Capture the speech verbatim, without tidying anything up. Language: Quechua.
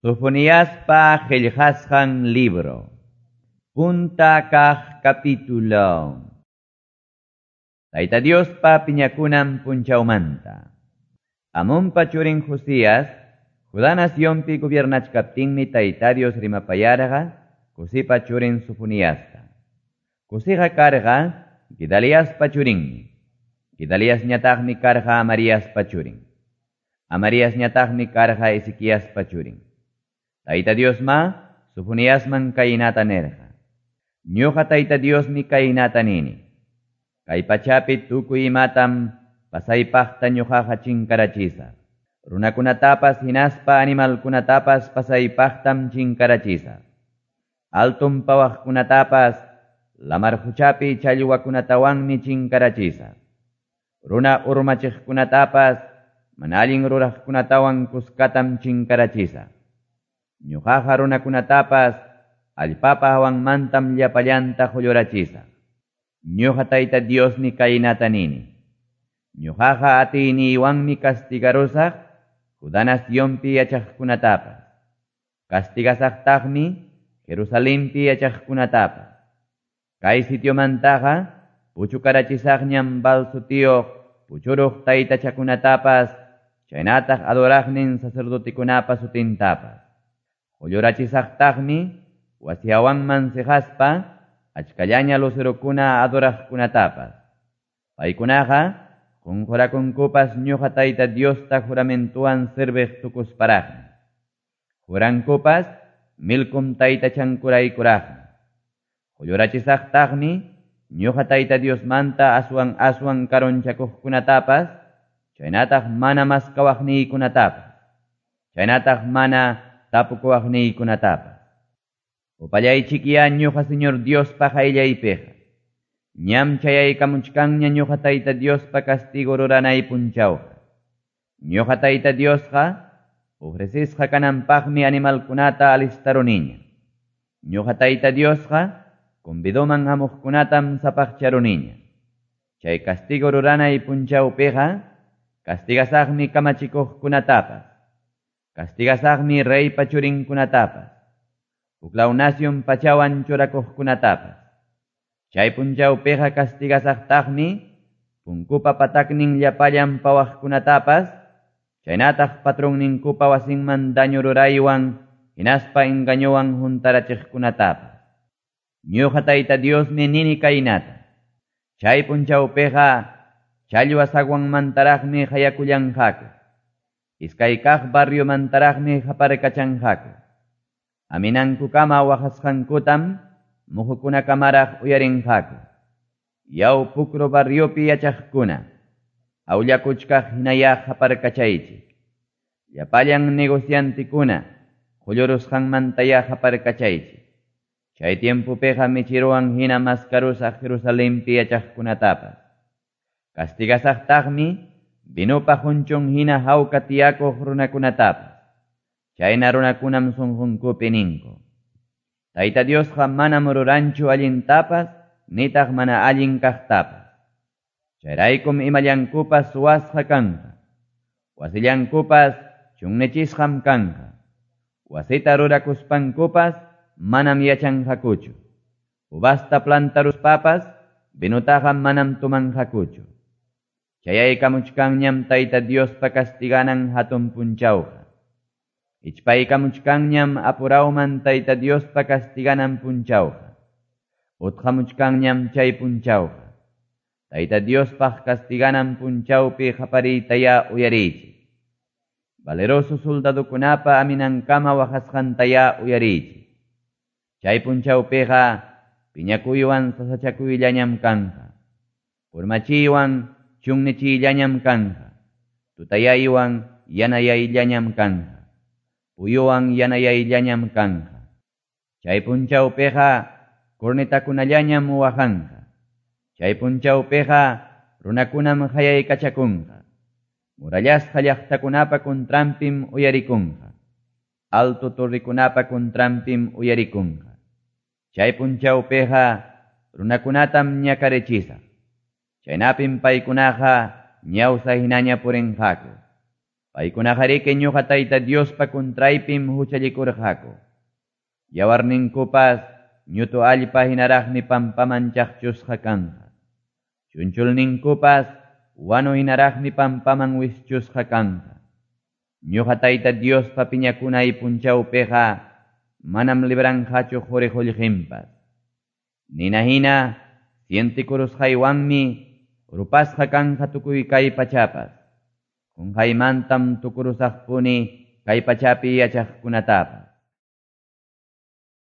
Sofoniaspa qillqasqan libro. Punta kaq capítulo. Tayta Diospa piñakunan punchawmanta. Amonpa churin Josías, Judá nacionpi gobiernachkaptinmi Tayta Dios rimapayarqa Cusipa churin Sofoniasta. Cusiqa karqa Gedaliaspa churinmi. Gedaliasñataqmi karqa Amariaspa churin. Amariasñataqmi karqa Ezequiaspa churin. Tayta Diosma Sofoniasman kaynata nirqa. Ñuqa Tayta Diosmi kaynata nini. Kay pachapi tukuy imatam pasaypaqta ñuqaqa chinkarachisaq. Runakunatapas hinaspa animalkunatapas pasaypaqtam chinkarachisaq. Alton pawaqkunatapas lamar quchapi challwakunatawanmi chinkarachisaq. Runa urmachiqkunatapas mana allin ruraqkunatawan kuskatam chinkarachisaq. Ñuqaqa runakunatapas allpapa hawanmantam llapallanta qullurachisaq. Ñuqa Tayta Diosmi kaynata nini. Ñuqaqa atiyniywanmi castigarusaq Judá nacionpi yachaqkunatapas. Castigasaqtaqmi Jerusalenpi yachaqkunatapas. Kay sitiomantaqa puchukarachisaqñam Baal sutiyuq puchuruq taytachakunatapas chaynataq adoraqnin sacerdotekunapa sutintapas. Qullurachisaqtaqmi wasi hawanman siqaspa achkallaña lucerokuna adoraqkunatapas. Paykunaqa qunqurakunkupas ñuqa Tayta Diosta juramentuwan serviq tukusparaqmi. Jurankupas Milcom taytachankuraykuraqmi. Qullurachisaqtaqmi ñuqa Tayta Diosmanta aswan aswan karunchakuqkunatapas chaynataq mana maskawaqniykunatapas chaynataq mana tapukuwaqniykunatapas. Upallaychikya ñuqa Señor Diospa qayllaypiqa. Ñam chayaykamuchkanña ñuqa Tayta Diospa castigo ruranay punchawqa. Ñuqa Tayta Diosqa ofrecisqa kananpaqmi animalkunata alistaruniña. Ñuqa Tayta Diosqa convidoman hamuqkunatam sapaqcharuniña. Chay castigo ruranay punchawpiqa castigasaqmi kamachikuqkunatapas. Castigasaqmi reypa churinkunatapas. Huklaw nacion pachawan churakuqkunatapas. Chay punchawpiqa castigasaqtaqmi punkupa pataknin llapallan pawaqkunatapas, chaynataq patronninkupa wasinman daño ruraywan hinaspa engañowan huntarachiqkunatapas. Ñuqa Tayta Diosmi nini kaynata. Chay punchawpiqa challwa sagwanmantaraqmi hayakullanqaku. Iskay kaq barriomantaraqmi haparkachanqaku. Aminankukama waqasqankutam muhukunakamaraq uyarinqaku. Yaw pukru barriopi yachaqkuna, awllakuchkaq hinayaq haparkachaychik. Llapallan negociantikuna, qullurusqanmantaya haparkachaychik. Chay tiempopiqa michiruwan hina maskarusaq Jerusalenpi yachaqkunatapas. Castigasaqtaqmi vinopa hunchun hina hawka tiyakuq runakunatapas. Chayna runakunam sunqunkupi ninku. Tayta Diosqa manam ruranchu allintapas, nitaq mana allin kaqtapas. Chayraykum imallankupas suwasqa kanqa. Wasillankupas chunnichisqam kanqa. Wasita rurakuspankupas manam yachanqakuchu. Uvasta plantaruspapas vinutaqa manam tumanqakuchu. Chayaykamuchkanñam Tayta Diospa castiganan hatun punchawqa. Ichpaykamuchkanñam apurawman Tayta Diospa castiganan punchawqa. Utqamuchkanñam chay punchawqa. Tayta Diospaq castiganan punchawpi qapariytaya uyariychik. Valeroso soldadokunapa aminankama waqasqantaya uyariychik. Chay punchawpiqa piñakuywan sasachakuyllañam kanqa. Purmachiywan chunnichiyllañam kanqa. Tutayaywan yanayayllañam kanqa. Puyuwan yanayayllañam kanqa. Chay punchawpiqa cornetakunallañam waqanqa. Chay punchawpiqa runakunam hayaykachakunqa. Murallasqa llaqtakunapa contranpim uyarikunqa. Alto torrikunapa contranpim uyarikunqa. Chay punchawpiqa runakunatam ñakarichisaq. Chaynapim paykunaqa ñawsa hinaña purinqaku. Paykunaqariki ñoqa Tayta Diospa contraypim huchallikurqaku. Yawarninkupas ñutu allpa hinaraqmi pampaman chaqchusqa kanqa. Chunchulninkupas wanu hinaraqmi pampaman wischusqa kanqa. Ñoqa Tayta Diospa piñakunay punchawpiqa manam libranqachu qori qollqenpas. Nina hina sientikurusqaywanmi rupasqa kanqa tukuy kay pachapas. Qonqaymantam tukurusaqpuni kay pachapi yachaqkunatapas.